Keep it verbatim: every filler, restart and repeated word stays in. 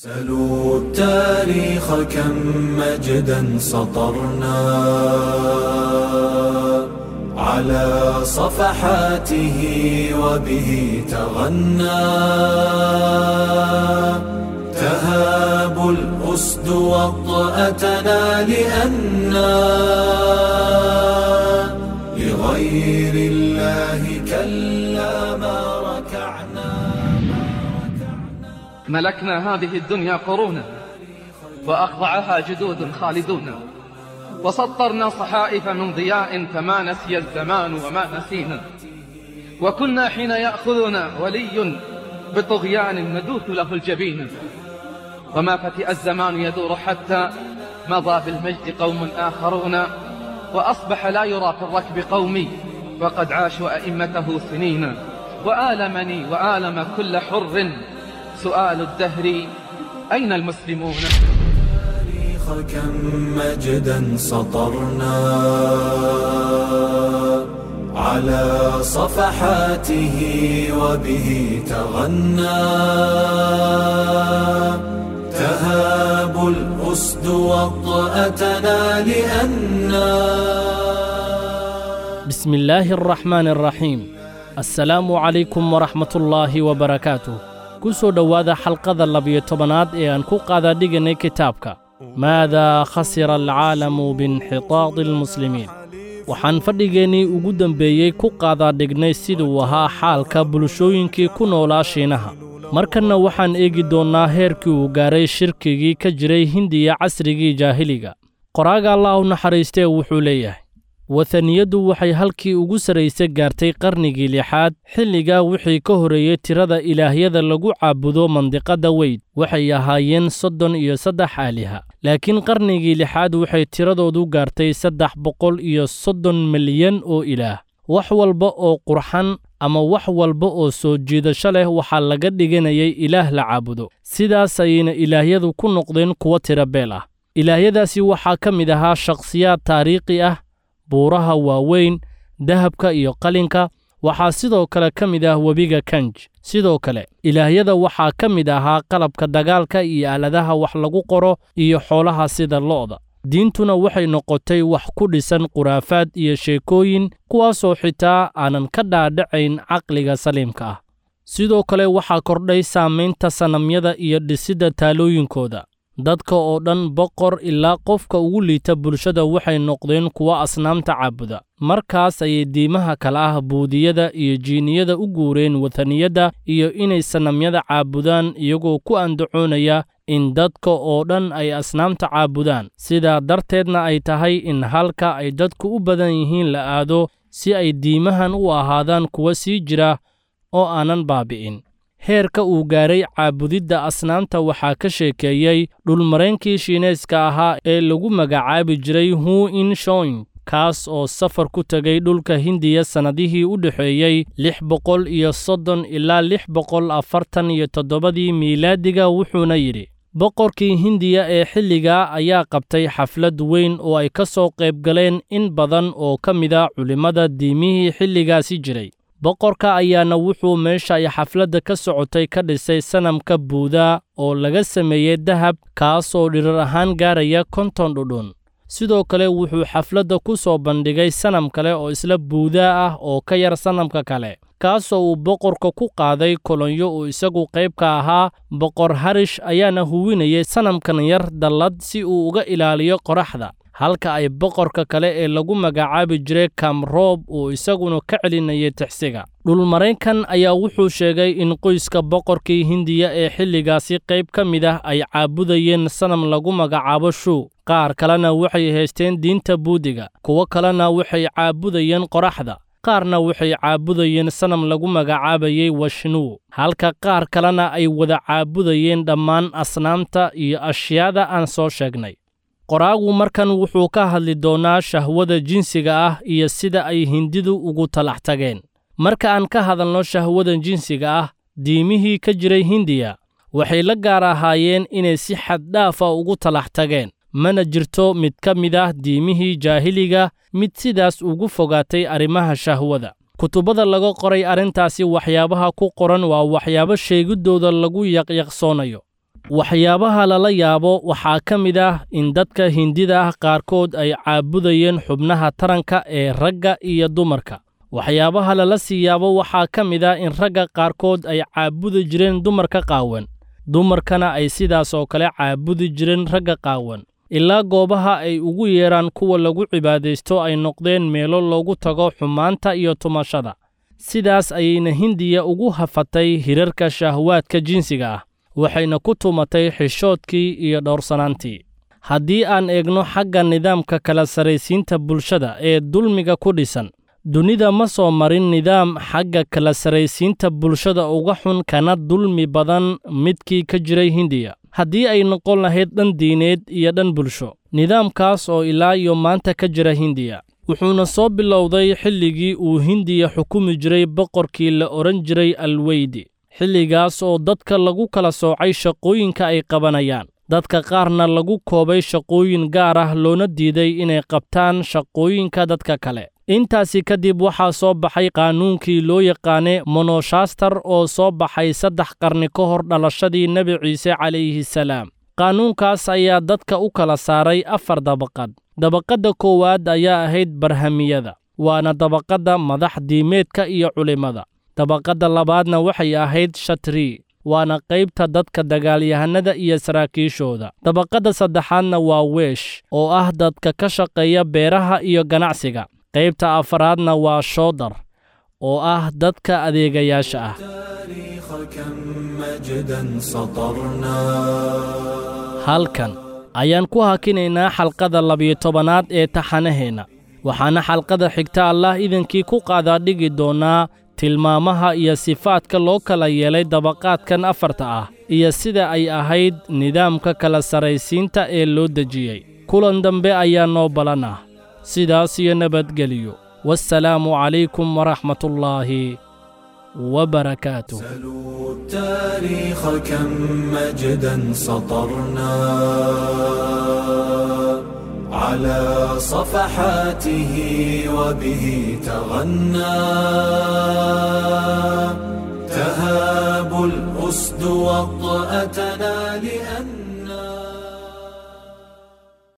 سلوا التاريخ كم مجدا سطرنا على صفحاته وبه تغنى تهاب الأسد وطأتنا لأنا لغير الله كلا ما ركعنا. ملكنا هذه الدنيا قرونا وأخضعها جدود خالدون، وسطرنا صحائف من ضياء فما نسي الزمان وما نسينا، وكنا حين يأخذنا ولي بطغيان ندوث له الجبين، وما فتئ الزمان يدور حتى مضى بالمجد قوم آخرون، وأصبح لا يرى في الركب قومي وقد عاشوا أئمته سنين، وآلمني وآلم كل حر سؤال الدهر أين المسلمون؟ كم مجدا سطرنا على صفحاته وبه تغنى تهاب الأسد وطأتنا لأننا. بسم الله الرحمن الرحيم. السلام عليكم ورحمة الله وبركاته. Kusoo dhowaada xalqada labiyo tobanaad ee aan ku qaadadhiganay kitaabka Maadaa khasira alcaalamu biinxitaadi almuslimiin. Waxaan fadhigeennii ugu dambeeyey ku qaadaadhignay siduu ahaa xaalka bulshooyinkii ku noolaa Shiinaha. Markanna waxaan eegi doonnaa heerkii uu gaaray shirkigii ka jiray Hindiya casrigii jaahiliga. Qoraaga Allah u naxariistee wuxuu leeyahay: wathaniyaddu waxay halkii ugu sarraysay gaartay qarnigii lixaad, xilligaa wixii ka horreeyey tirada ilaahyada lagu caabudo mandiqadda weyd waxay ahaayeen soddon iyo saddex aaliha, laakiin qarnigii lixaad waxay tiradoodu gaartay saddex boqol iyo soddon milyan oo ilaah. Wax walba oo qurxan ama wax walba oo soo jiidasho leh waxaa laga dhiganayay ilaah la caabudo. Sidaas ayayna ilaahyadu ku noqdeen kuwo tiro beel ah. Ilaahyadaasi waxaa ka mid ahaa shakhsiyaad taariikhi ah, buuraha waaweyn, dahabka iyo qalinka. Waxaa sidoo kale ka mid ah webiga Kanj. Sidoo kale ilaahyada waxaa ka mid ahaa qalabka dagaalka iyo aaladaha wax lagu qoro iyo xoolaha sida lo'da. Diintuna waxay noqotay wax ku dhisan khuraafaad iyo sheekooyin, kuwaasoo xitaa aanan ka dhaadhacayn caqliga saliimka ah. Sidoo kale waxaa kordhay saamaynta sanamyada iyo dhisidda taalooyinkooda. Dadka oo dhan, boqor ilaa qofka ugu liita bulshada, waxay noqdeen kuwa asnaamta caabuda. Markaas ayay diimaha kale ah buudiyada iyo jiiniyada u guureen wathaniyadda iyo inay sanamyada caabudaan, iyagoo ku andacoonaya in dadka oo dhan ay asnaamta caabudaan, sidaa darteedna ay tahay in halka ay dadku u badan yihiin la aado si ay diimahan u ahaadaan kuwa sii jira oo aanan baabi'in. Heerka uu gaaray caabudidda asnaamta waxaa ka sheekeeyey dhulmareenkii Shiineyska ahaa ee lagu magacaabi jiray Hu In Shoing, kaas oo safar ku tegay dhulka Hindiya sannadihii u dhexeeyey lix boqol iyo soddon ilaa lix boqol afartan iyo toddobadii miilaadiga. Wuxuuna yidhi: boqorkii Hindiya ee xilligaa ayaa qabtay xaflad weyn oo ay ka soo qayb galeen in badan oo ka mid a culimmada diimihii xilligaasi jiray. Boqorka ayaana wuxuu meesha ay xafladda ka socotay ka dhisay sanamka Buudaa oo laga sameeyey dahab, kaasoo dhirar ahaan gaaraya konton dhudhun. Sidoo kale wuxuu xafladda ku soo bandhigay sanam kale oo isla Buudaa ah oo ka yar sanamka kale, kaasoo uu boqorka ku qaaday kolonyo uu isagu qayb ka ahaa. Boqor Harish ayaana huwinayay sanamkan yar dallad si uu uga ilaaliyo qoraxda, halka ay boqorka kale ee lagu magacaabi jiray Kamroob uu isaguna ka celinayay tixsiga. Dhulmareenkan ayaa wuxuu sheegay in qoyska boqorkii Hindiya ee xilligaasi qayb ka mid ah ay caabudayeen sanam lagu magacaabo Shuu, qaar kalena waxay haysteen diinta Buudiga, kuwo kalena waxay caabudayeen qoraxda, qaarna waxay caabudayeen sanam lagu magacaabayay Washnuu, halka qaar kalena ay wada caabudayeen dhammaan asnaamta iyo ashyaada aan soo sheegnay. Qoraagu markan wuxuu ka hadli doonaa shahwada jinsiga ah iyo sida ay Hindidu ugu talax tageen. Marka aan ka hadalno shahwada jinsiga ah, diimihii ka jiray Hindiya waxay la gaar ahaayeen inay si xad dhaaf ah ugu talax tageen. Mana jirto mid ka mid ah diimihii jaahiliga mid sidaas ugu fogaatay arrimaha shahwada. Kutubada laga qoray arrintaasi waxyaabaha ku qoran waa waxyaabo sheegidooda lagu yaqyaqsoonayo. Waxyaabaha lala yaabo waxaa ka mid ah in dadka Hindida ah qaarkood ay caabudayeen xubnaha taranka ee ragga iyo dumarka. Waxyaabaha lala sii yaabo waxaa ka mid ah in ragga qaarkood ay caabudi jireen dumarka qaawan, dumarkana ay sidaas oo kale caabudi jireen ragga qaawan, ilaa goobaha ay ugu yeeraan kuwa lagu cibaadaysto ay noqdeen meelo loogu tago xumaanta iyo tumashada. Sidaas ayayna Hindiya ugu hafatay hirarka shahwaadka jinsiga ah, waxayna ku tumatay xishoodkii iyo dhowrsanaantii. Haddii aan eegno xagga nidaamka kala sarraysiinta bulshada ee dulmiga ku dhisan, dunida ma soo marin nidaam xagga kala sarraysiinta bulshada uga xun kana dulmi badan midkii ka jiray Hindiya, haddii ay noqon lahayd dhan diineed iyo dhan bulsho. Nidaamkaas oo ilaa iyo maanta ka jira Hindiya wuxuuna soo bilowday xilligii uu Hindiya xukumi jiray boqorkii la odhan jiray Alweydi, xilligaas oo dadka lagu kala soocay shaqooyinka ay qabanayaan, dadka qaarna lagu koobay shaqooyin gaar ah loona diiday inay qabtaan shaqooyinka dadka kale. Intaasi kadib waxaa soo baxay qaanuunkii loo yaqaanay Monoshastar oo soo baxay saddex qarni ka hor dhalashadii Nebi Ciise calayhi salaam. Qaanuunkaas ayaa dadka u kala saaray afar dabaqad. Dabaqadda koowaad ayaa ahayd barhamiyada, waana dabaqadda madax diimeedka iyo culimmada. Dabaqadda labaadna waxay ahayd shatri, waana qaybta dadka dagaalyahanada iyo saraakiishooda. Dabaqadda saddexaadna waa weesh, oo ah dadka ka shaqeeya beeraha iyo ganacsiga. Qaybta afaraadna waa shoodar, oo ah dadka adeegayaasha ah. Halkan ayaan ku hakinaynaa xalqada labiyo tobanaad ee taxanaheenna, waxaana xalqada xigta Allah idinkii ku qaadaa dhigi doonaa tilmaamaha iyo sifaadka loo kala yeelay dabaqaadkan afarta ah iyo sida ay ahayd nidaamka kala sarraysiinta ee loo dejiyey. Kulan dambe ayaa noo balan ah. Sidaas iyo nabadgeliyo. Wassalaamu calaykum waraxmatullaahi وبركاته. سلوا التاريخ كم مجدا سطرنا على صفحاته وبه تغنى.